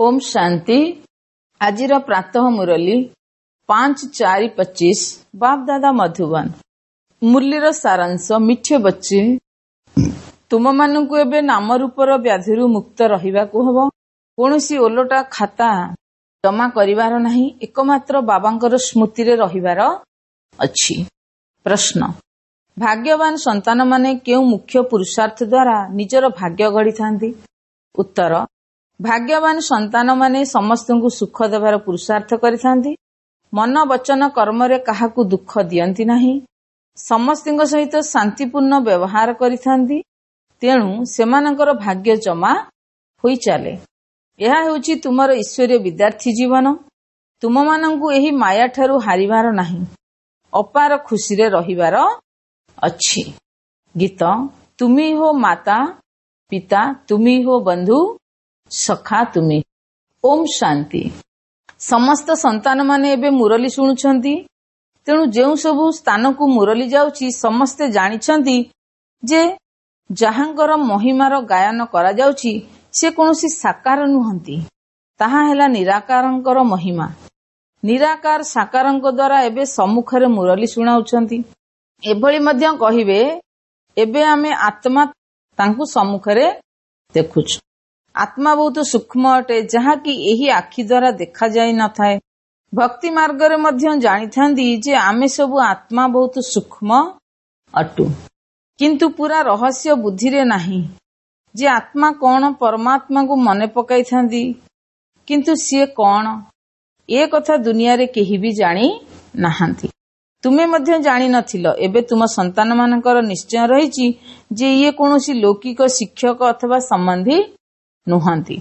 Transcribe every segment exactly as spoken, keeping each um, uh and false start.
ଓମ୍ ଶାନ୍ତି। ଆଜିର ପ୍ରାତଃ ମୁରଲୀ ପାଞ୍ଚ ଚାରି ପଚିଶ, ବାପଦାଦା ମଧୁବନ। ମୁରଲୀର ସାରାଂଶ। ମିଠେ ବଚ୍ଚେ, ତୁମମାନଙ୍କୁ ଏବେ ନାମ ରୂପର ବ୍ୟାଧିରୁ ମୁକ୍ତ ରହିବାକୁ ହେବ। କୌଣସି ଓଲଟା ଖାତା ଜମା କରିବାର ନାହିଁ। ଏକମାତ୍ର ବାବାଙ୍କର ସ୍ମୃତିରେ ରହିବାର ଅଛି। ପ୍ରଶ୍ନ, ଭାଗ୍ୟବାନ ସନ୍ତାନମାନେ କେଉଁ ମୁଖ୍ୟ ପୁରୁଷାର୍ଥ ଦ୍ୱାରା ନିଜର ଭାଗ୍ୟ ଗଢ଼ିଥାନ୍ତି? ଉତ୍ତର, ଭାଗ୍ୟବାନ ସନ୍ତାନମାନେ ସମସ୍ତଙ୍କୁ ସୁଖ ଦେବାର ପୁରୁଷାର୍ଥ କରିଥାନ୍ତି। ମନ, ବଚନ, କର୍ମରେ କାହାକୁ ଦୁଃଖ ଦିଅନ୍ତି ନାହିଁ। ସମସ୍ତଙ୍କ ସହିତ ଶାନ୍ତିପୂର୍ଣ୍ଣ ବ୍ୟବହାର କରିଥାନ୍ତି। ତେଣୁ ସେମାନଙ୍କର ଭାଗ୍ୟ ଜମା ହୋଇ ଚାଲେ। ଏହା ହେଉଛି ତୁମର ଈଶ୍ୱରୀୟ ବିଦ୍ୟାର୍ଥୀ ଜୀବନ। ତୁମମାନଙ୍କୁ ଏହି ମାୟାଠାରୁ ହାରିବାର ନାହିଁ, ଅପାର ଖୁସିରେ ରହିବାର ଅଛି। ଗୀତ, ତୁମି ହୋ ମାତା ପିତା, ତୁମି ହୋ ବନ୍ଧୁ ସଖା ତୁମି। ଓମ୍ ଶାନ୍ତି। ସମସ୍ତ ସନ୍ତାନମାନେ ଏବେ ମୁରଲୀ ଶୁଣୁଛନ୍ତି। ତେଣୁ ଯେଉଁ ସବୁ ସ୍ଥାନକୁ ମୁରଲୀ ଯାଉଛି, ସମସ୍ତେ ଜାଣିଛନ୍ତି ଯେ ଯାହାଙ୍କର ମହିମାର ଗାୟନ କରାଯାଉଛି ସେ କୌଣସି ସାକାର ନୁହନ୍ତି। ତାହା ହେଲା ନିରାକାରଙ୍କର ମହିମା। ନିରାକାର ସାକାରଙ୍କ ଦ୍ୱାରା ଏବେ ସମ୍ମୁଖରେ ମୁରଲୀ ଶୁଣାଉଛନ୍ତି। ଏଭଳି ମଧ୍ୟ କହିବେ, ଏବେ ଆମେ ଆତ୍ମା ତାଙ୍କୁ ସମ୍ମୁଖରେ ଦେଖୁଛୁ। ଆତ୍ମା ବହୁତ ସୂକ୍ଷ୍ମ ଅଟେ, ଯାହାକି ଏହି ଆଖି ଦ୍ୱାରା ଦେଖାଯାଇ ନଥାଏ। ଭକ୍ତି ମାର୍ଗରେ ମଧ୍ୟ ଜାଣିଥାନ୍ତି ଯେ ଆମେ ସବୁ ଆତ୍ମା ବହୁତ ସୂକ୍ଷ୍ମ ଅଟୁ, କିନ୍ତୁ ପୁରା ରହସ୍ୟ ବୁଦ୍ଧିରେ ନାହିଁ ଯେ ଆତ୍ମା କଣ। ପରମାତ୍ମାକୁ ମନେ ପକାଇଥାନ୍ତି, କିନ୍ତୁ ସିଏ କଣ ଏ କଥା ଦୁନିଆରେ କେହି ବି ଜାଣି ନାହାନ୍ତି। ତୁମେ ମଧ୍ୟ ଜାଣିନଥିଲ। ଏବେ ତୁମ ସନ୍ତାନମାନଙ୍କର ନିଶ୍ଚୟ ରହିଛି ଯେ ଇଏ କୌଣସି ଲୌକିକ ଶିକ୍ଷକ ଅଥବା ସମ୍ବନ୍ଧୀ ନୁହନ୍ତି।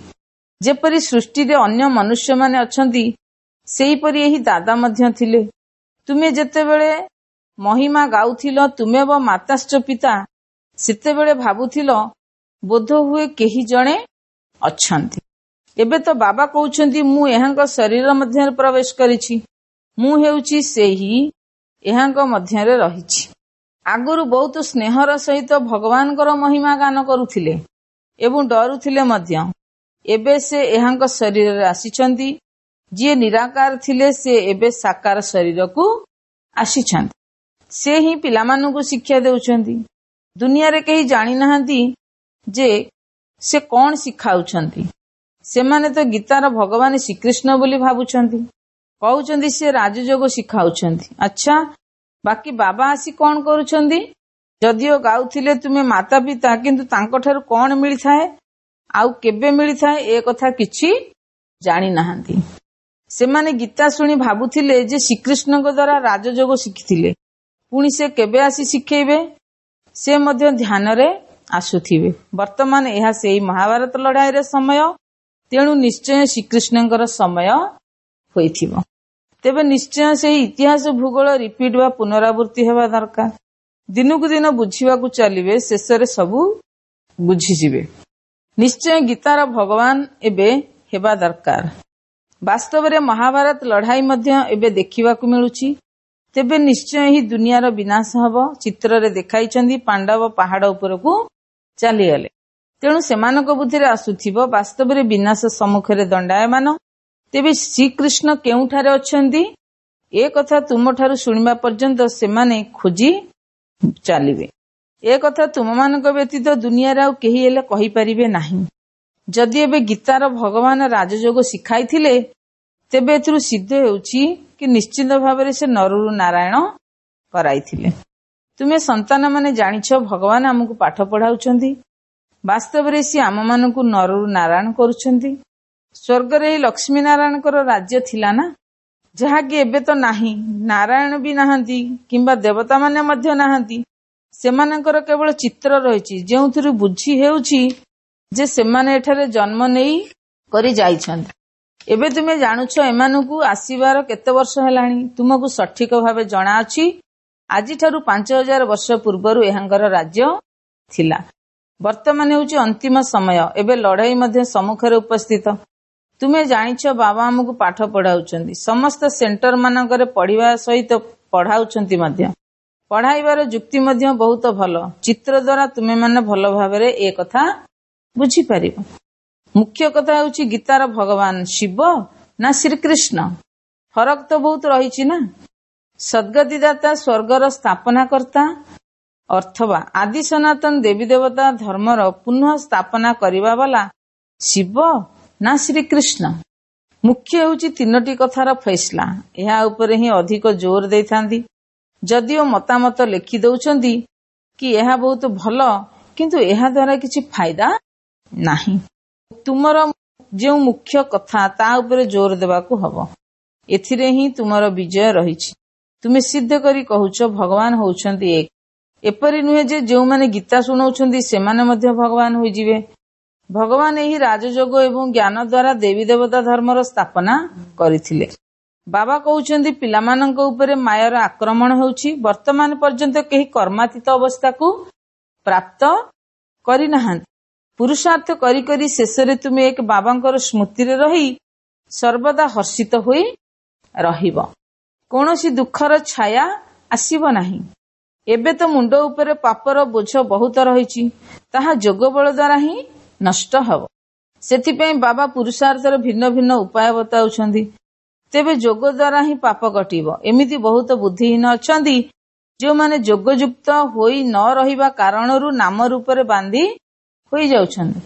ଯେପରି ସୃଷ୍ଟିରେ ଅନ୍ୟ ମନୁଷ୍ୟମାନେ ଅଛନ୍ତି, ସେହିପରି ଏହି ଦାଦା ମଧ୍ୟ ଥିଲେ। ତୁମେ ଯେତେବେଳେ ମହିମା ଗାଉଥିଲ ତୁମେବ ମାତାଶ୍ଚ ପିତା, ସେତେବେଳେ ଭାବୁଥିଲ ବୋଧ ହୁଏ କେହି ଜଣେ ଅଛନ୍ତି। ଏବେ ତ ବାବା କହୁଛନ୍ତି, ମୁଁ ଏହାଙ୍କ ଶରୀର ମଧ୍ୟରେ ପ୍ରବେଶ କରିଛି, ମୁଁ ହେଉଛି ସେହି, ଏହାଙ୍କ ମଧ୍ୟରେ ରହିଛି। ଆଗରୁ ବହୁତ ସ୍ନେହର ସହିତ ଭଗବାନଙ୍କର ମହିମା ଗାନ କରୁଥିଲେ ଏବଂ ଡରୁଥିଲେ ମଧ୍ୟ। ଏବେ ସେ ଏହାଙ୍କ ଶରୀରରେ ଆସିଛନ୍ତି। ଯିଏ ନିରାକାର ଥିଲେ, ସେ ଏବେ ସାକାର ଶରୀରକୁ ଆସିଛନ୍ତି। ସେ ହିଁ ପିଲାମାନଙ୍କୁ ଶିକ୍ଷା ଦେଉଛନ୍ତି। ଦୁନିଆରେ କେହି ଜାଣିନାହାନ୍ତି ଯେ ସେ କଣ ଶିଖାଉଛନ୍ତି। ସେମାନେ ତ ଗୀତାର ଭଗବାନ ଶ୍ରୀକୃଷ୍ଣ ବୋଲି ଭାବୁଛନ୍ତି। କହୁଛନ୍ତି ସେ ରାଜଯୋଗ ଶିଖାଉଛନ୍ତି। ଆଚ୍ଛା, ବାକି ବାବା ଆସି କଣ କରୁଛନ୍ତି? ଯଦିଓ ଗାଉଥିଲେ ତୁମେ ମାତା ପିତା, କିନ୍ତୁ ତାଙ୍କଠାରୁ କଣ ମିଳିଥାଏ ଆଉ କେବେ ମିଳିଥାଏ, ଏ କଥା କିଛି ଜାଣିନାହାନ୍ତି। ସେମାନେ ଗୀତା ଶୁଣି ଭାବୁଥିଲେ ଯେ ଶ୍ରୀକୃଷ୍ଣଙ୍କ ଦ୍ୱାରା ରାଜଯୋଗ ଶିଖିଥିଲେ, ପୁଣି ସେ କେବେ ଆସି ଶିଖେଇବେ? ସେ ମଧ୍ୟ ଧ୍ୟାନରେ ଆସୁଥିବେ। ବର୍ତ୍ତମାନ ଏହା ସେଇ ମହାଭାରତ ଲଢାଇର ସମୟ, ତେଣୁ ନିଶ୍ଚୟ ଶ୍ରୀକୃଷ୍ଣଙ୍କର ସମୟ ହୋଇଥିବ। ତେବେ ନିଶ୍ଚୟ ସେହି ଇତିହାସ ଭୂଗୋଳ ରିପିଟ୍ ବା ପୁନରାବୃତ୍ତି ହେବା ଦରକାର। ଦିନକୁ ଦିନ ବୁଝିବାକୁ ଚାଲିବେ, ଶେଷରେ ସବୁ ବୁଝିଯିବେ। ନିଶ୍ଚୟ ଗୀତାର ଭଗବାନ ଏବେ ହେବା ଦରକାର। ବାସ୍ତବରେ ମହାଭାରତ ଲଢାଇ ମଧ୍ୟ ଏବେ ଦେଖିବାକୁ ମିଳୁଛି। ତେବେ ନିଶ୍ଚୟ ଏହି ଦୁନିଆର ବିନାଶ ହେବ। ଚିତ୍ରରେ ଦେଖାଇଛନ୍ତି ପାଣ୍ଡବ ପାହାଡ ଉପରକୁ ଚାଲିଗଲେ। ତେଣୁ ସେମାନଙ୍କ ବୁଦ୍ଧିରେ ଆସୁଥିବ ବାସ୍ତବରେ ବିନାଶ ସମ୍ମୁଖରେ ଦଣ୍ଡାୟମାନ। ତେବେ ଶ୍ରୀକୃଷ୍ଣ କେଉଁଠାରେ ଅଛନ୍ତି, ଏ କଥା ତୁମଠାରୁ ଶୁଣିବା ପର୍ଯ୍ୟନ୍ତ ସେମାନେ ଖୋଜି ଚାଲିବେ। ଏ କଥା ତୁମମାନଙ୍କ ବ୍ୟତୀତ ଦୁନିଆରେ ଆଉ କେହି ହେଲେ କହିପାରିବେ ନାହିଁ। ଯଦି ଏବେ ଗୀତାର ଭଗବାନ ରାଜଯୋଗ ଶିଖାଇଥିଲେ, ତେବେ ଏଥିରୁ ସିଦ୍ଧ ହେଉଛି କି ନିଶ୍ଚିତ ଭାବରେ ସେ ନରରୁ ନାରାୟଣ କରାଇଥିଲେ। ତୁମେ ସନ୍ତାନମାନେ ଜାଣିଛ ଭଗବାନ ଆମକୁ ପାଠ ପଢାଉଛନ୍ତି। ବାସ୍ତବରେ ସିଏ ଆମମାନଙ୍କୁ ନରରୁ ନାରାୟଣ କରୁଛନ୍ତି। ସ୍ୱର୍ଗରେ ଏହି ଲକ୍ଷ୍ମୀ ନାରାୟଣଙ୍କର ରାଜ୍ୟ ଥିଲା ନା, ଯାହାକି ଏବେ ତ ନାହିଁ। ନାରାୟଣ ବି ନାହାନ୍ତି କିମ୍ବା ଦେବତାମାନେ ମଧ୍ୟ ନାହାନ୍ତି। ସେମାନଙ୍କର କେବଳ ଚିତ୍ର ରହିଛି, ଯେଉଁଥିରୁ ବୁଝି ହେଉଛି ଯେ ସେମାନେ ଏଠାରେ ଜନ୍ମ ନେଇ କରି ଯାଇଛନ୍ତି। ଏବେ ତୁମେ ଜାଣୁଛ ଏମାନଙ୍କୁ ଆସିବାର କେତେ ବର୍ଷ ହେଲାଣି। ତୁମକୁ ସଠିକ ଭାବେ ଜଣାଅଛି ଆଜିଠାରୁ ପାଞ୍ଚ ହଜାର ବର୍ଷ ପୂର୍ବରୁ ଏହାଙ୍କର ରାଜ୍ୟ ଥିଲା। ବର୍ତ୍ତମାନ ହେଉଛି ଅନ୍ତିମ ସମୟ। ଏବେ ଲଢେଇ ମଧ୍ୟ ସମ୍ମୁଖରେ ଉପସ୍ଥିତ। ତୁମେ ଜାଣିଛ ବାବା ଆମକୁ ପାଠ ପଢାଉଛନ୍ତି। ସମସ୍ତ ସେଣ୍ଟର ମାନଙ୍କରେ ପଢିବା ସହିତ ପଢାଉଛନ୍ତି ମଧ୍ୟ। ପଢାଇବାର ଯୁକ୍ତି ମଧ୍ୟ ବହୁତ ଭଲ। ଚିତ୍ର ଦ୍ୱାରା ତୁମେମାନେ ଭଲ ଭାବରେ ଏ କଥା ବୁଝିପାରିବ। ମୁଖ୍ୟ କଥା ହେଉଛି ଗୀତାର ଭଗବାନ ଶିବ ନା ଶ୍ରୀକୃଷ୍ଣ? ଫରକ ତ ବହୁତ ରହିଛି ନା। ସଦ୍ଗତିଦାତା ସ୍ୱର୍ଗର ସ୍ଥାପନା କର୍ତ୍ତା ଅଥବା ଆଦି ସନାତନ ଦେବୀ ଦେବତା ଧର୍ମର ପୁନଃ ସ୍ଥାପନା କରିବା ବାଲା ଶିବ ନା ଶ୍ରୀକୃଷ୍ଣ? ମୁଖ୍ୟ ହେଉଛି ତିନୋଟି କଥାର ଫୈସଲା। ଏହା ଉପରେ ହିଁ ଅଧିକ ଜୋର ଦେଇଥାନ୍ତି। ଯଦିଓ ମତାମତ ଲେଖି ଦେଉଛନ୍ତି କି ଏହା ବହୁତ ଭଲ, କିନ୍ତୁ ଏହା ଦ୍ୱାରା କିଛି ଫାଇଦା ନାହିଁ। ତୁମର ଯେଉଁ ମୁଖ୍ୟ କଥା ତା ଉପରେ ଜୋର ଦେବାକୁ ହବ। ଏଥିରେ ହିଁ ତୁମର ବିଜୟ ରହିଛି। ତୁମେ ସିଦ୍ଧ କରି କହୁଛ ଭଗବାନ ହେଉଛନ୍ତି ଏକ। ଏପରି ନୁହେଁ ଯେ ଯେଉଁମାନେ ଗୀତା ଶୁଣାଉଛନ୍ତି ସେମାନେ ମଧ୍ୟ ଭଗବାନ ହୋଇଯିବେ। ଭଗବାନ ଏହି ରାଜଯୋଗ ଏବଂ ଜ୍ଞାନ ଦ୍ୱାରା ଦେବୀ ଦେବତା ଧର୍ମର ସ୍ଥାପନା କରିଥିଲେ। ବାବା କହୁଛନ୍ତି ପିଲାମାନଙ୍କ ଉପରେ ମାୟାର ଆକ୍ରମଣ ହେଉଛି। ବର୍ତ୍ତମାନ ପର୍ଯ୍ୟନ୍ତ କେହି କର୍ମାତୀତ ଅବସ୍ଥାକୁ ପ୍ରାପ୍ତ କରିନାହାନ୍ତି। ପୁରୁଷାର୍ଥ କରି କରି ଶେଷରେ ତୁମେ ଏକ ବାବାଙ୍କର ସ୍ମୃତିରେ ରହି ସର୍ବଦା ହର୍ଷିତ ହୋଇ ରହିବ। କୌଣସି ଦୁଃଖର ଛାୟା ଆସିବ ନାହିଁ। ଏବେ ତ ମୁଣ୍ଡ ଉପରେ ପାପର ବୋଝ ବହୁତ ରହିଛି, ତାହା ଯୋଗ ବଳ ଦ୍ୱାରା ହିଁ ନଷ୍ଟ ହେବ। ସେଥିପାଇଁ ବାବା ପୁରୁଷାର୍ଥର ଭିନ୍ନ ଭିନ୍ନ ଉପାୟ ବତାଉଛନ୍ତି। ତେବେ ଯୋଗ ଦ୍ୱାରା ହିଁ ପାପ କଟିବ। ଏମିତି ବହୁତ ବୁଦ୍ଧିହୀନ ଅଛନ୍ତି ଯେଉଁମାନେ ଯୋଗଯୁକ୍ତ ହୋଇ ନ ରହିବା କାରଣରୁ ନାମ ରୂପରେ ବାନ୍ଧି ହୋଇଯାଉଛନ୍ତି।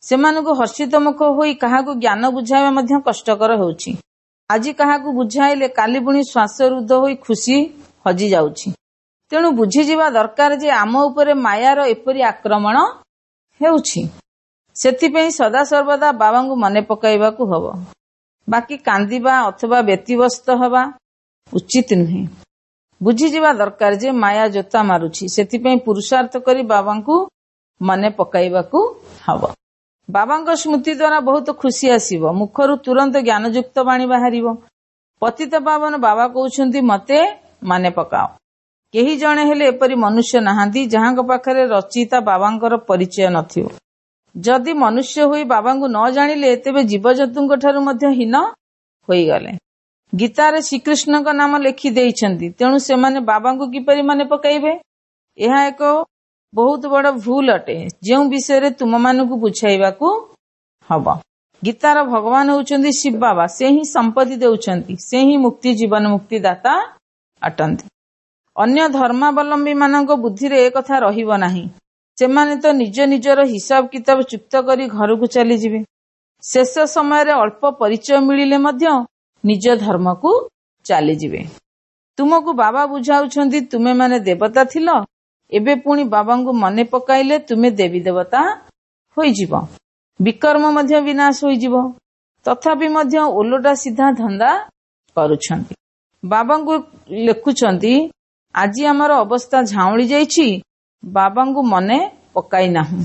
ସେମାନଙ୍କୁ ହର୍ଷିତ ମୁଖ ହୋଇ କାହାକୁ ଜ୍ଞାନ ବୁଝାଇବା ମଧ୍ୟ କଷ୍ଟକର ହେଉଛି। ଆଜି କାହାକୁ ବୁଝାଇଲେ କାଲି ପୁଣି ଶ୍ୱାସରୁଦ୍ଧ ହୋଇ ଖୁସି ହଜି ଯାଉଛି। ତେଣୁ ବୁଝିଯିବା ଦରକାର ଯେ ଆମ ଉପରେ ମାୟାର ଏପରି ଆକ୍ରମଣ ହେଉଛି। ସେଥିପାଇଁ ସଦାସର୍ବଦା ବାବାଙ୍କୁ ମନେ ପକାଇବାକୁ ହବ। ବାକି କାନ୍ଦିବା ଅଥବା ବ୍ୟତିବ୍ୟସ୍ତ ହେବା ଉଚିତ ନୁହେଁ। ବୁଝିଯିବା ଦରକାର ଯେ ମାୟା ଜୋତା ମାରୁଛି। ସେଥିପାଇଁ ପୁରୁଷାର୍ଥ କରି ବାବାଙ୍କୁ ମନେ ପକାଇବାକୁ ହବ। ବାବାଙ୍କ ସ୍ମୃତି ଦ୍ୱାରା ବହୁତ ଖୁସି ଆସିବ। ମୁଖରୁ ତୁରନ୍ତ ଜ୍ଞାନଯୁକ୍ତ ବାଣୀ ବାହାରିବ। ପତିତ ପାବନ ବାବା କହୁଛନ୍ତି ମତେ ମନେ ପକାଅ। କେହି ଜଣେ ହେଲେ ଏପରି ମନୁଷ୍ୟ ନାହାନ୍ତି ଯାହାଙ୍କ ପାଖରେ ରଚିତା ବାବାଙ୍କର ପରିଚୟ ନଥିବ। ଯଦି ମନୁଷ୍ୟ ହୋଇ ବାବାଙ୍କୁ ନ ଜାଣିଲେ ତେବେ ଜୀବଜନ୍ତୁଙ୍କ ଠାରୁ ମଧ୍ୟ ହୀନ ହୋଇଗଲେ। ଗୀତାରେ ଶ୍ରୀକୃଷ୍ଣଙ୍କ ନାମ ଲେଖି ଦେଇଛନ୍ତି, ତେଣୁ ସେମାନେ ବାବାଙ୍କୁ କିପରି ମନେ ପକାଇବେ? ଏହା ଏକ ବହୁତ ବଡ ଭୁଲ ଅଟେ, ଯେଉଁ ବିଷୟରେ ତୁମମାନଙ୍କୁ ବୁଝାଇବାକୁ ହବ। ଗୀତାର ଭଗବାନ ହେଉଛନ୍ତି ଶିବ ବାବା। ସେ ହିଁ ସମ୍ପତ୍ତି ଦେଉଛନ୍ତି, ସେ ହିଁ ମୁକ୍ତି ଜୀବନ ମୁକ୍ତି ଦାତା ଅଟନ୍ତି। ଅନ୍ୟ ଧର୍ମାବଲମ୍ବୀ ମାନଙ୍କ ବୁଦ୍ଧିରେ ଏ କଥା ରହିବ ନାହିଁ। ସେମାନେ ତ ନିଜ ନିଜର ହିସାବ କିତାବ ଚୁକ୍ତ କରି ଘରକୁ ଚାଲିଯିବେ। ଶେଷ ସମୟରେ ଅଳ୍ପ ପରିଚୟ ମିଳିଲେ ମଧ୍ୟ ନିଜ ଧର୍ମକୁ ଚାଲିଯିବେ। ତୁମକୁ ବାବା ବୁଝାଉଛନ୍ତି ତୁମେମାନେ ଦେବତା ଥିଲ, ଏବେ ପୁଣି ବାବାଙ୍କୁ ମନେ ପକାଇଲେ ତୁମେ ଦେବୀ ଦେବତା ହୋଇଯିବ। ବିକର୍ମ ମଧ୍ୟ ବିନାଶ ହୋଇଯିବ। ତଥାପି ମଧ୍ୟ ଓଲଟା ସିଧା ଧନ୍ଦା କରୁଛନ୍ତି। ବାବାଙ୍କୁ ଲେଖୁଛନ୍ତି ଆଜି ଆମର ଅବସ୍ଥା ଝାଉଁଳି ଯାଇଛି, ବାବାଙ୍କୁ ମନେ ପକାଇ ନାହୁଁ।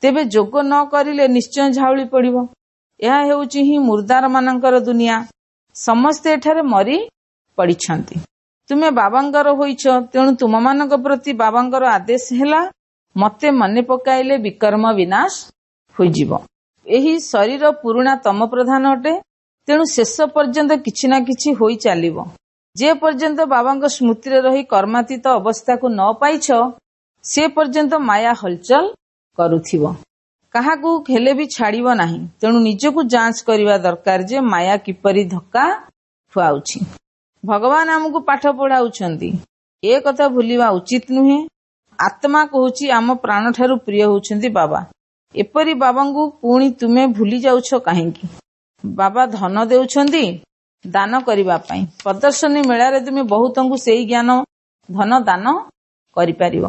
ତେବେ ଯୋଗ ନ କରିଲେ ନିଶ୍ଚୟ ଝାଉଳି ପଡ଼ିବ। ଏହା ହେଉଛି ହିଁ ମୁର୍ଦାର ମାନଙ୍କର ଦୁନିଆ। ସମସ୍ତେ ଏଠାରେ ମରି ପଡ଼ିଛନ୍ତି। ତୁମେ ବାବାଙ୍କର ହୋଇଛ, ତେଣୁ ତୁମମାନଙ୍କ ପ୍ରତି ବାବାଙ୍କର ଆଦେଶ ହେଲା ମତେ ମନେ ପକାଇଲେ ବିକର୍ମ ବିନାଶ ହୋଇଯିବ। ଏହି ଶରୀର ପୁରୁଣା ତମ ପ୍ରଧାନ ଅଟେ, ତେଣୁ ଶେଷ ପର୍ଯ୍ୟନ୍ତ କିଛି ନା କିଛି ହୋଇ ଚାଲିବ। ଯେ ପର୍ଯ୍ୟନ୍ତ ବାବାଙ୍କ ସ୍ମୃତିରେ ରହି କର୍ମାତୀତ ଅବସ୍ଥାକୁ ନ ପାଇଛ, ସେ ପର୍ଯ୍ୟନ୍ତ ମାୟା ହଲଚଲ କରୁଥିବ। କାହାକୁ ହେଲେ ବି ଛାଡ଼ିବ ନାହିଁ। ତେଣୁ ନିଜକୁ ଯାଞ୍ଚ କରିବା ଦରକାର ଯେ ମାୟା କିପରି ଧକ୍କା ଖୁଆଉଛି। ଭଗବାନ ଆମକୁ ପାଠ ପଢାଉଛନ୍ତି, ଏ କଥା ଭୁଲିବା ଉଚିତ ନୁହେଁ। ଆତ୍ମା କହୁଛି ଆମ ପ୍ରାଣଠାରୁ ପ୍ରିୟ ହେଉଛନ୍ତି ବାବା। ଏପରି ବାବାଙ୍କୁ ପୁଣି ତୁମେ ଭୁଲି ଯାଉଛ କାହିଁକି? ବାବା ଧନ ଦେଉଛନ୍ତି ଦାନ କରିବା ପାଇଁ। ପ୍ରଦର୍ଶନୀ ମେଳାରେ ତୁମେ ବହୁତଙ୍କୁ ସେଇ ଜ୍ଞାନ ଧନ ଦାନ କରିପାରିବ।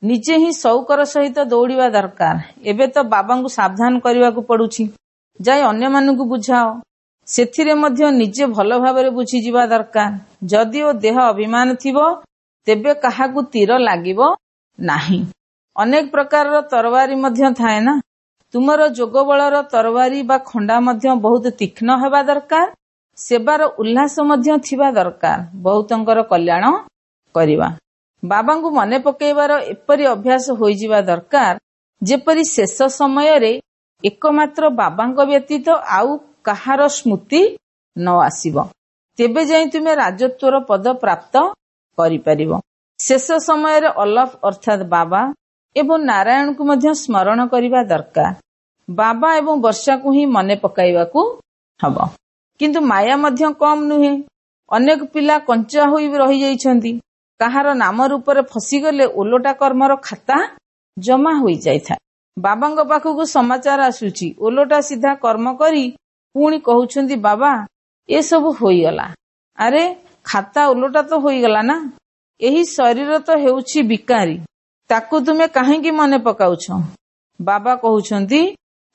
ନିଜେ ହିଁ ସଉକର ସହିତ ଦୌଡ଼ିବା ଦରକାର। ଏବେ ତ ବାବାଙ୍କୁ ସାବଧାନ କରିବାକୁ ପଡୁଛି, ଯାଇ ଅନ୍ୟମାନଙ୍କୁ ବୁଝାଅ। ସେଥିରେ ମଧ୍ୟ ନିଜେ ଭଲ ଭାବରେ ବୁଝିଯିବା ଦରକାର। ଯଦିଓ ଦେହ ଅଭିମାନ ଥିବ ତେବେ କାହାକୁ ତୀର ଲାଗିବ ନାହିଁ। ଅନେକ ପ୍ରକାରର ତରବାରୀ ମଧ୍ୟ ଥାଏ ନା। ତୁମର ଯୋଗ ବଳର ତରବାରୀ ବା ଖଣ୍ଡା ମଧ୍ୟ ବହୁତ ତୀକ୍ଷ୍ଣ ହେବା ଦରକାର। ସେବାର ଉଲ୍ଲାସ ମଧ୍ୟ ଥିବା ଦରକାର, ବହୁତଙ୍କର କଲ୍ୟାଣ କରିବା। ବାବାଙ୍କୁ ମନେ ପକାଇବାର ଏପରି ଅଭ୍ୟାସ ହୋଇଯିବା ଦରକାର ଯେପରି ଶେଷ ସମୟରେ ଏକମାତ୍ର ବାବାଙ୍କ ବ୍ୟତୀତ ଆଉ କାହାର ସ୍ମୃତି ନ ଆସିବ। ତେବେ ଯାଇ ତୁମେ ରାଜତ୍ୱର ପଦ ପ୍ରାପ୍ତ କରିପାରିବ। ଶେଷ ସମୟରେ ଅଲଫ ଅର୍ଥାତ୍ ବାବା ଏବଂ ନାରାୟଣଙ୍କୁ ମଧ୍ୟ ସ୍ମରଣ କରିବା ଦରକାର। ବାବା ଏବଂ ବର୍ଷାକୁ ହିଁ ମନେ ପକାଇବାକୁ ହବ। କିନ୍ତୁ ମାୟା ମଧ୍ୟ କମ୍ ନୁହେଁ। ଅନେକ ପିଲା କଞ୍ଚା ହୋଇ ରହିଯାଇଛନ୍ତି। କାହାର ନାମ ରୂପରେ ଫସିଗଲେ ଓଲଟା କର୍ମର ଖାତା ଜମା ହୋଇଯାଇଥାଏ। ବାବାଙ୍କ ପାଖକୁ ସମାଚାର ଆସୁଛି, ଓଲଟା ସିଧା କର୍ମ କରି ପୁଣି କହୁଛନ୍ତି, ବାବା ଏସବୁ ହୋଇଗଲା। ଆରେ ଖାତା ଓଲଟା ତ ହୋଇଗଲା ନା। ଏହି ଶରୀର ତ ହେଉଛି ବିକାରୀ, ତାକୁ ତୁମେ କାହିଁକି ମନେ ପକାଉଛ? ବାବା କହୁଛନ୍ତି,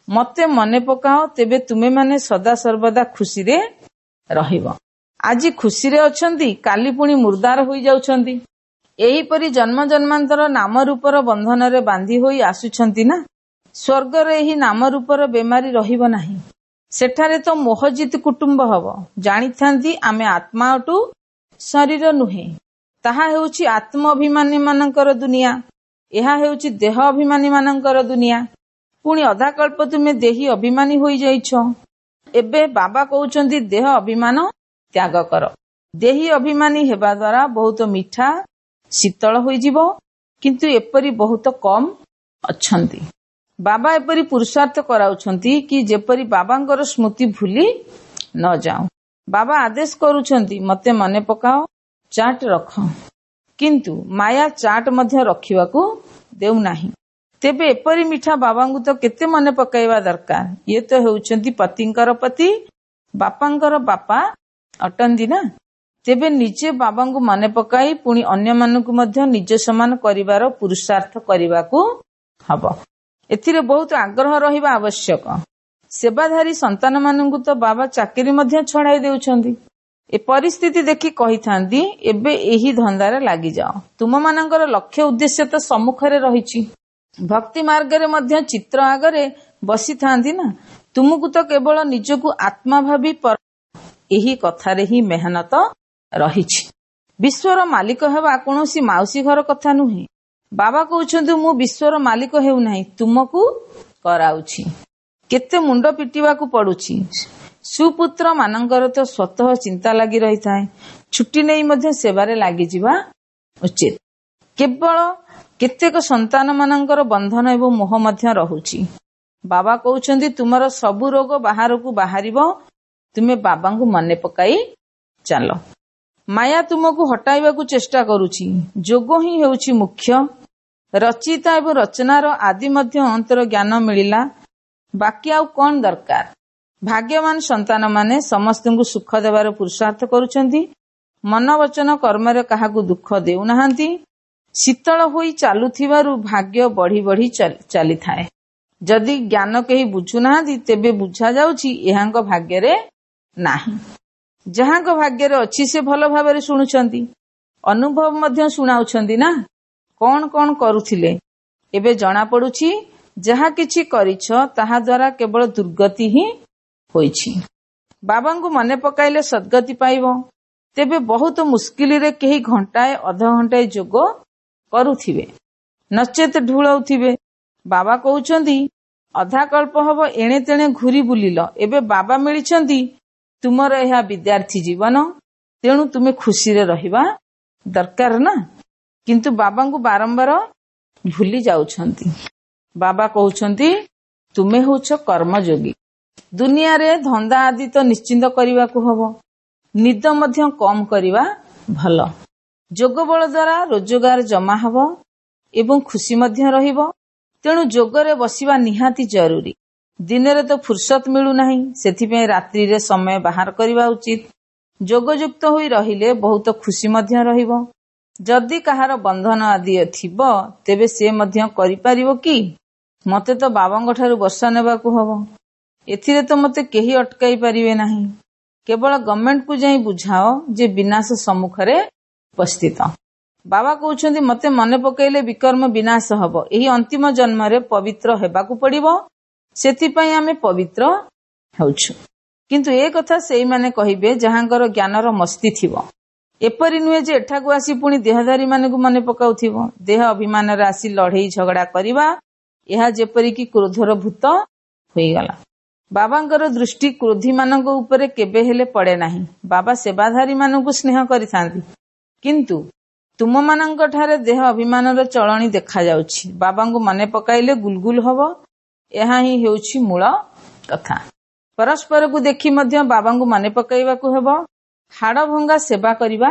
ମତେ ମନେ ପକାଅ, ତେବେ ତୁମେମାନେ ସଦା ସର୍ବଦା ଖୁସିରେ ରହିବ। ଆଜି ଖୁସିରେ ଅଛନ୍ତି, କାଲି ପୁଣି ମୁର୍ଦାର ହୋଇଯାଉଛନ୍ତି। ଏହିପରି ଜନ୍ମ ଜନ୍ମାନ୍ତର ନାମ ରୂପର ବନ୍ଧନରେ ବାନ୍ଧି ହୋଇ ଆସୁଛନ୍ତି ନା। ସ୍ୱର୍ଗରେ ଏହି ନାମ ରୂପର ବେମାରୀ ରହିବ ନାହିଁ। ସେଠାରେ ତ ମୋହଜିତ କୁଟୁମ୍ବ ହବ। ଜାଣିଥାନ୍ତି ଆମେ ଆତ୍ମା ଅଟୁ, ଶରୀର ନୁହେଁ। ତାହା ହେଉଛି ଆତ୍ମ ଅଭିମାନୀ ମାନଙ୍କର ଦୁନିଆ, ଏହା ହେଉଛି ଦେହ ଅଭିମାନୀ ମାନଙ୍କର ଦୁନିଆ। ପୁଣି ଅଧାକଳ୍ପ ତୁମେ ଦେହି ଅଭିମାନୀ ହୋଇଯାଇଛ। ଏବେ ବାବା କହୁଛନ୍ତି ଦେହ ଅଭିମାନ ତ୍ୟାଗ କର। ଦେହି ଅଭିମାନୀ ହେବା ଦ୍ୱାରା ବହୁତ ମିଠା ଶୀତଳ ହୋଇଯିବ, କିନ୍ତୁ ଏପରି ବହୁତ କମ୍ ଅଛନ୍ତି। ବାବା ଏପରି ପୁରୁଷାର୍ଥ କରାଉଛନ୍ତି କି ଯେପରି ବାବାଙ୍କର ସ୍ମୃତି ଭୁଲି ନ ଯାଉ। ବାବା ଆଦେଶ କରୁଛନ୍ତି ମତେ ମନେ ପକାଅ, ଚାଟ ରଖ। କିନ୍ତୁ ମାୟା ଚାଟ ମଧ୍ୟ ରଖିବାକୁ ଦେଉନାହିଁ। ତେବେ ଏପରି ମିଠା ବାବାଙ୍କୁ ତ କେତେ ମନେ ପକାଇବା ଦରକାର। ଇଏ ତ ହେଉଛନ୍ତି ପତିଙ୍କର ପତି, ବାପାଙ୍କର ବାପା ଅଟନ୍ତି ନା। ତେବେ ନିଜେ ବାବାଙ୍କୁ ମନେ ପକାଇ ପୁଣି ଅନ୍ୟମାନଙ୍କୁ ମଧ୍ୟ ନିଜ ସମାନ କରିବାର ପୁରୁଷାର୍ଥ କରିବାକୁ ହବ। ଏଥିରେ ବହୁତ ଆଗ୍ରହ ରହିବା ଆବଶ୍ୟକ। ସେବାଧାରୀ ସନ୍ତାନମାନଙ୍କୁ ତ ବାବା ଚାକିରି ମଧ୍ୟ ଛଡ଼ାଇ ଦେଉଛନ୍ତି। ଏ ପରିସ୍ଥିତି ଦେଖି କହିଥାନ୍ତି, ଏବେ ଏହି ଧନ୍ଦାରେ ଲାଗିଯାଅ। ତୁମମାନଙ୍କର ଲକ୍ଷ୍ୟ ଉଦ୍ଦେଶ୍ୟ ତ ସମ୍ମୁଖରେ ରହିଛି। ଭକ୍ତି ମାର୍ଗରେ ମଧ୍ୟ ଚିତ୍ର ଆଗରେ ବସିଥାନ୍ତି ନା। ତୁମକୁ ତ କେବଳ ନିଜକୁ ଆତ୍ମା ଭାବି ଏହି କଥାରେ ହିଁ ମେହନତ ରହିଛି। ବିଶ୍ୱର ମାଲିକ ହେବା କୌଣସି ମାଉସୀ ଘର କଥା ନୁହେଁ। ବାବା କହୁଛନ୍ତି ମୁଁ ବିଶ୍ୱର ମାଲିକ ହେଉନାହିଁ, ତୁମକୁ କରାଉଛି। କେତେ ମୁଣ୍ଡ ପିଟିବାକୁ ପଡୁଛି। ସୁପୁତ୍ର ମାନଙ୍କର ତ ସ୍ୱତଃ ଚିନ୍ତା ଲାଗି ରହିଥାଏ। ଛୁଟି ନେଇ ମଧ୍ୟ ସେବାରେ ଲାଗିଯିବା ଉଚିତ। କେବଳ କେତେକ ସନ୍ତାନ ମାନଙ୍କର ବନ୍ଧନ ଏବଂ ମୋହ ମଧ୍ୟ ରହୁଛି। ବାବା କହୁଛନ୍ତି ତୁମର ସବୁ ରୋଗ ବାହାରକୁ ବାହାରିବ, ତୁମେ ବାବାଙ୍କୁ ମନେ ପକାଇ ଚାଲ। ମାୟା ତୁମକୁ ହଟାଇବାକୁ ଚେଷ୍ଟା କରୁଛି। ଯୋଗ ହିଁ ହେଉଛି ମୁଖ୍ୟ। ରଚିତା ଏବଂ ରଚନାର ଆଦି ମଧ୍ୟ ଅନ୍ତର ଜ୍ଞାନ ମିଳିଲା, ବାକି ଆଉ କଣ ଦରକାର? ଭାଗ୍ୟବାନ ସନ୍ତାନମାନେ ସମସ୍ତଙ୍କୁ ସୁଖ ଦେବାର ପୁରୁଷାର୍ଥ କରୁଛନ୍ତି। ମନ ବଚନ କର୍ମରେ କାହାକୁ ଦୁଃଖ ଦେଉନାହାନ୍ତି। ଶୀତଳ ହୋଇ ଚାଲୁଥିବାରୁ ଭାଗ୍ୟ ବଢି ବଢି ଚାଲିଥାଏ। ଯଦି ଜ୍ଞାନ କେହି ବୁଝୁନାହାନ୍ତି, ତେବେ ବୁଝାଯାଉଛି ଏହାଙ୍କ ଭାଗ୍ୟରେ ନାହିଁ। ଯାହାଙ୍କ ଭାଗ୍ୟରେ ଅଛି ସେ ଭଲ ଭାବରେ ଶୁଣୁଛନ୍ତି, ଅନୁଭବ ମଧ୍ୟ ଶୁଣାଉଛନ୍ତି ନା। କଣ କଣ କରୁଥିଲେ ଏବେ ଜଣା ପଡୁଛି। ଯାହା କିଛି କରିଛ ତାହା ଦ୍ୱାରା କେବଳ ଦୁର୍ଗତି ହିଁ ହୋଇଛି। ବାବାଙ୍କୁ ମନେ ପକାଇଲେ ସଦ୍ଗତି ପାଇବ। ତେବେ ବହୁତ ମୁସ୍କିଲରେ କେହି ଘଣ୍ଟାଏ ଅଧଘଣ୍ଟାଏ ଯୋଗ କରୁଥିବେ, ନଚେତ ଢୁଳଉଥିବେ। ବାବା କହୁଛନ୍ତି ଅଧାକଳ୍ପ ହବ ଏଣେ ତେଣେ ଘୁରି ବୁଲିଲ, ଏବେ ବାବା ମିଳିଛନ୍ତି। ତୁମର ଏହା ବିଦ୍ୟାର୍ଥୀ ଜୀବନ, ତେଣୁ ତୁମେ ଖୁସିରେ ରହିବା ଦରକାର ନା। କିନ୍ତୁ ବାବାଙ୍କୁ ବାରମ୍ବାର ଭୁଲି ଯାଉଛନ୍ତି। ବାବା କହୁଛନ୍ତି ତୁମେ ହେଉଛ କର୍ମଯୋଗୀ। ଦୁନିଆରେ ଧନ୍ଦା ଆଦି ତ ନିଶ୍ଚିନ୍ତ କରିବାକୁ ହବ। ନିଦ ମଧ୍ୟ କମ୍ କରିବା ଭଲ। ଯୋଗ ବଳ ଦ୍ୱାରା ରୋଜଗାର ଜମା ହବ ଏବଂ ଖୁସି ମଧ୍ୟ ରହିବ। ତେଣୁ ଯୋଗରେ ବସିବା ନିହାତି ଜରୁରୀ। ଦିନରେ ତ ଫୁର୍ସତ ମିଳୁନାହିଁ, ସେଥିପାଇଁ ରାତ୍ରିରେ ସମୟ ବାହାର କରିବା ଉଚିତ। ଯୋଗଯୁକ୍ତ ହୋଇ ରହିଲେ ବହୁତ ଖୁସି ମଧ୍ୟ ରହିବ। ଯଦି କାହାର ବନ୍ଧନ ଆଦି ଥିବ, ତେବେ ସେ ମଧ୍ୟ କରିପାରିବ କି? ମତେ ତ ବାବାଙ୍କ ଠାରୁ ବର୍ଷା ନେବାକୁ ହବ, ଏଥିରେ ତ ମତେ କେହି ଅଟକାଇ ପାରିବେ ନାହିଁ। କେବଳ ଗଭର୍ଣ୍ଣମେଣ୍ଟକୁ ଯାଇ ବୁଝାଅ ଯେ ବିନାଶ ସମ୍ମୁଖରେ ଉପସ୍ଥିତ। ବାବା କହୁଛନ୍ତି ମତେ ମନେ ପକାଇଲେ ବିକର୍ମ ବିନାଶ ହବ। ଏହି ଅନ୍ତିମ ଜନ୍ମରେ ପବିତ୍ର ହେବାକୁ ପଡିବ, ସେଥିପାଇଁ ଆମେ ପବିତ୍ର ହେଉଛୁ। କିନ୍ତୁ ଏ କଥା ସେଇମାନେ କହିବେ ଯାହାଙ୍କର ଜ୍ଞାନର ମସ୍ତି ଥିବ। ଏପରି ନୁହେଁ ଯେ ଏଠାକୁ ଆସି ପୁଣି ଦେହଧାରୀ ମାନଙ୍କୁ ମନେ ପକାଉଥିବ। ଦେହ ଅଭିମାନରେ ଆସି ଲଢେଇ ଝଗଡା କରିବା, ଏହା ଯେପରିକି କ୍ରୋଧର ଭୂତ ହୋଇଗଲା। ବାବାଙ୍କର ଦୃଷ୍ଟି କ୍ରୋଧୀ ମାନଙ୍କ ଉପରେ କେବେ ହେଲେ ପଡେ ନାହିଁ। ବାବା ସେବାଧାରୀ ମାନଙ୍କୁ ସ୍ନେହ କରିଥାନ୍ତି, କିନ୍ତୁ ତୁମମାନଙ୍କ ଠାରେ ଦେହ ଅଭିମାନର ଚଳଣି ଦେଖାଯାଉଛି। ବାବାଙ୍କୁ ମନେ ପକାଇଲେ ଗୁଲଗୁଲ ହବ, ଏହା ହିଁ ହେଉଛି ମୂଳ କଥା। ପରସ୍ପରକୁ ଦେଖି ମଧ୍ୟ ବାବାଙ୍କୁ ମନେ ପକାଇବାକୁ ହେବ। ହାଡ଼ଭଙ୍ଗା ସେବା କରିବା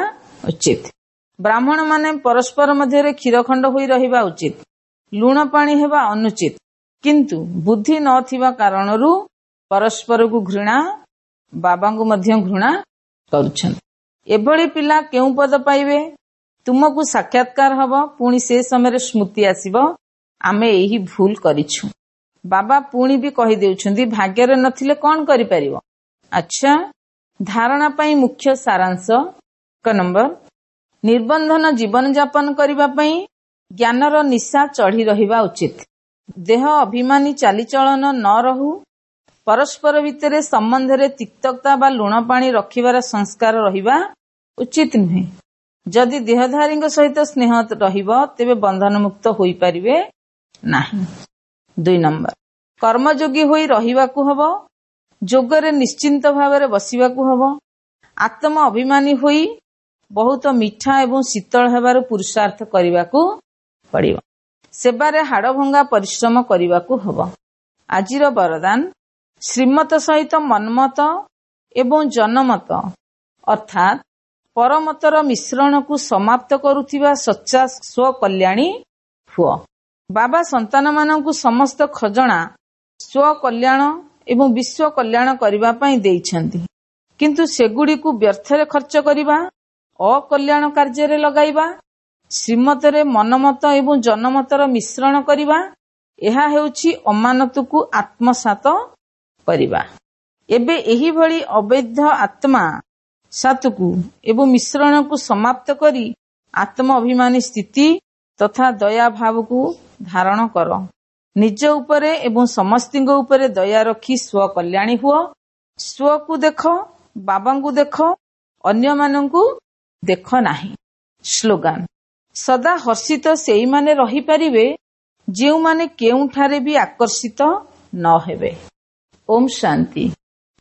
ଉଚିତ। ବ୍ରାହ୍ମଣମାନେ ପରସ୍ପର ମଧ୍ୟରେ କ୍ଷୀରଖଣ୍ଡ ହୋଇ ରହିବା ଉଚିତ, ଲୁଣ ପାଣି ହେବା ଅନୁଚିତ। କିନ୍ତୁ ବୁଦ୍ଧି ନଥିବା କାରଣରୁ ପରସ୍ପରକୁ ଘୃଣା, ବାବାଙ୍କୁ ମଧ୍ୟ ଘୃଣା କରୁଛନ୍ତି। ଏଭଳି ପିଲା କେଉଁ ପଦ ପାଇବେ? ତୁମକୁ ସାକ୍ଷାତକାର ହବ, ପୁଣି ସେ ସମୟରେ ସ୍ମୃତି ଆସିବ, ଆମେ ଏହି ଭୁଲ କରିଛୁ। ବାବା ପୁଣି ବି କହିଦେଉଛନ୍ତି, ଭାଗ୍ୟରେ ନଥିଲେ କଣ କରିପାରିବ? ଆଚ୍ଛା, ଧାରଣା ପାଇଁ ମୁଖ୍ୟ ସାରାଂଶ। ଏକ ନମ୍ବର, ନିର୍ବନ୍ଧନ ଜୀବନ ଯାପନ କରିବା ପାଇଁ ଜ୍ଞାନର ନିଶା ଚଢି ରହିବା ଉଚିତ। ଦେହ ଅଭିମାନୀ ଚାଲିଚଳନ ନ ରହୁ। ପରସ୍ପର ଭିତରେ ସମ୍ବନ୍ଧରେ ତିକ୍ତତା ବା ଲୁଣ ପାଣି ରଖିବାର ସଂସ୍କାର ରହିବା ଉଚିତ ନୁହେଁ। ଯଦି ଦେହଧାରୀଙ୍କ ସହିତ ସ୍ନେହ ରହିବ, ତେବେ ବନ୍ଧନମୁକ୍ତ ହୋଇପାରିବେ ନାହିଁ। ଦୁଇ ନମ୍ବର, କର୍ମଯୋଗୀ ହୋଇ ରହିବାକୁ ହବ। ଯୋଗରେ ନିଶ୍ଚିନ୍ତ ଭାବରେ ବସିବାକୁ ହବ। ଆତ୍ମ ଅଭିମାନୀ ହୋଇ ବହୁତ ମିଠା ଏବଂ ଶୀତଳ ହେବାର ପୁରୁଷାର୍ଥ କରିବାକୁ ପଡ଼ିବ। ସେବାରେ ହାଡ଼ଭଙ୍ଗା ପରିଶ୍ରମ କରିବାକୁ ହବ। ଆଜିର ବରଦାନ, ଶ୍ରୀମତ ସହିତ ମନ୍ମତ ଏବଂ ଜନମତ ଅର୍ଥାତ୍ ପରମତର ମିଶ୍ରଣକୁ ସମାପ୍ତ କରୁଥିବା ସଚ୍ଚା ସ୍ୱକଲ୍ୟାଣୀ ହୁଅ। ବାବା ସନ୍ତାନମାନଙ୍କୁ ସମସ୍ତ ଖଜଣା ସ୍ୱକଲ୍ୟାଣ ଏବଂ ବିଶ୍ୱ କଲ୍ୟାଣ କରିବା ପାଇଁ ଦେଇଛନ୍ତି, କିନ୍ତୁ ସେଗୁଡ଼ିକୁ ବ୍ୟର୍ଥରେ ଖର୍ଚ୍ଚ କରିବା, ଅକଲ୍ୟାଣ କାର୍ଯ୍ୟରେ ଲଗାଇବା, ଶ୍ରୀମତରେ ମନମତ ଏବଂ ଜନମତର ମିଶ୍ରଣ କରିବା, ଏହା ହେଉଛି ଅମାନତକୁ ଆତ୍ମସାତ କରିବା। ଏବେ ଏହିଭଳି ଅବୈଧ ଆତ୍ମା ସାତକୁ ଏବଂ ମିଶ୍ରଣକୁ ସମାପ୍ତ କରି ଆତ୍ମ ଅଭିମାନୀ ସ୍ଥିତି ତଥା ଦୟା ଭାବକୁ ଧାରଣ କର। ନିଜ ଉପରେ ଏବଂ ସମସ୍ତଙ୍କ ଉପରେ ଦୟା ରଖି ସ୍ୱକଲ୍ୟାଣୀ ହୁଅ। ସ୍ୱକୁ ଦେଖ, ବାବାଙ୍କୁ ଦେଖ, ଅନ୍ୟମାନଙ୍କୁ ଦେଖ ନାହିଁ। ସ୍ଲୋଗାନ, ସଦା ହର୍ଷିତ ସେଇମାନେ ରହିପାରିବେ ଯେଉଁମାନେ କେଉଁଠାରେ ବି ଆକର୍ଷିତ ନ ହେବେ। ଓମ୍ ଶାନ୍ତି।